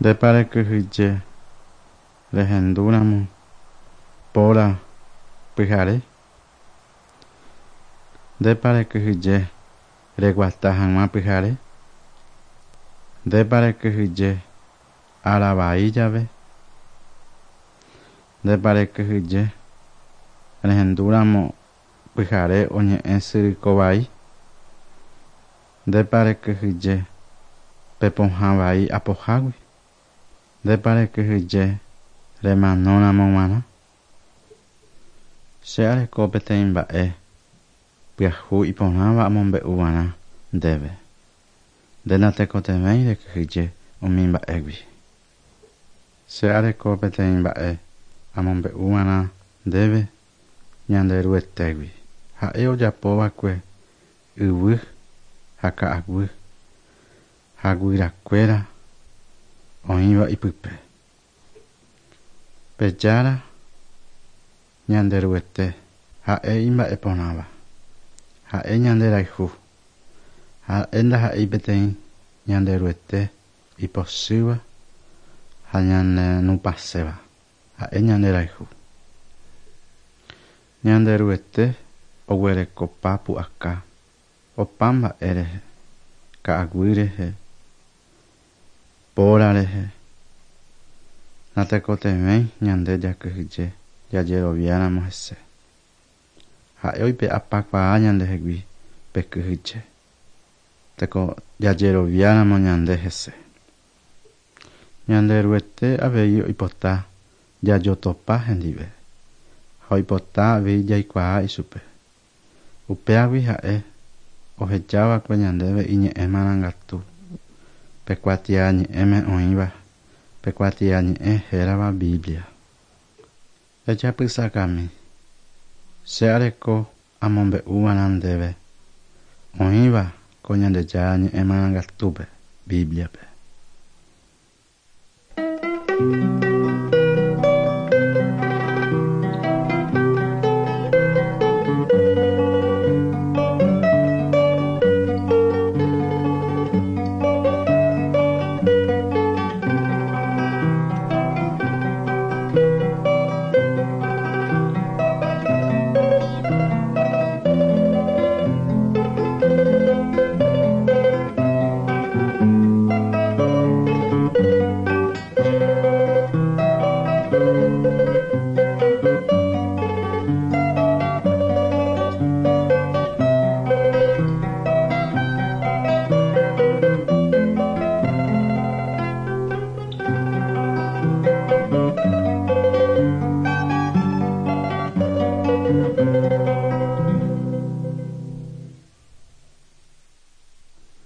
Ndépa rekyhyje rehendúramo póra pyhare? Ndépa rekyhyje reguata hag̃ua pyhare? Ndépa rekyhyje ára vai jave? Ndépa rekyhyje rehendúramo pyhare oñe'ẽ syrykovai? Ndépa rekyhyje pe pohã vai apohágui? Ndépa rekyhyje remanóramo g̃uarã? Che areko peteĩ mba'e pyahu iporãva amombe'uvarã ndéve. Nde natekotevẽi rekyhyje umi mba'égui. Che areko peteĩ mba'e amombe'uvarã ndéve Ñanderuetégui. Ha'e ojapova'ekue yvy ha ka'aguy ha guyrakuéra oĩva ipype. Pe Jára Ñanderuete ha'e imba'eporãva. Ha'e ñanderayhu. Ha'e ndaha'éi peteĩ Ñanderuete ipochýva ha ñanenupãséva. Ha'e ñanderayhu. Ñanderuete oguerekopa pu'aka opa mba'e rehe, ka'aguy rehe, póra rehe. Natekotevẽi ñande jakyhyje jajeroviáramo hese. Ha'e oipe'apakuaa ñandehegui pe kyhyje, teko jajeroviáramo ñande hese. Ñanderuete avei oipota jajotopa hendive ha oipota avei jaikuaa ichupe. Upéagui ha'e ohejava'ekue ñandéve iñe'ẽ marangatu, pe kuatiañe'ẽme oĩva, pe kuatiañe'ẽ hérava Biblia. Ejapysakami, che areko amombe'uvarã ndéve oĩva ko Ñandejára ñe'ẽ marangatúpe, Biblia-pe.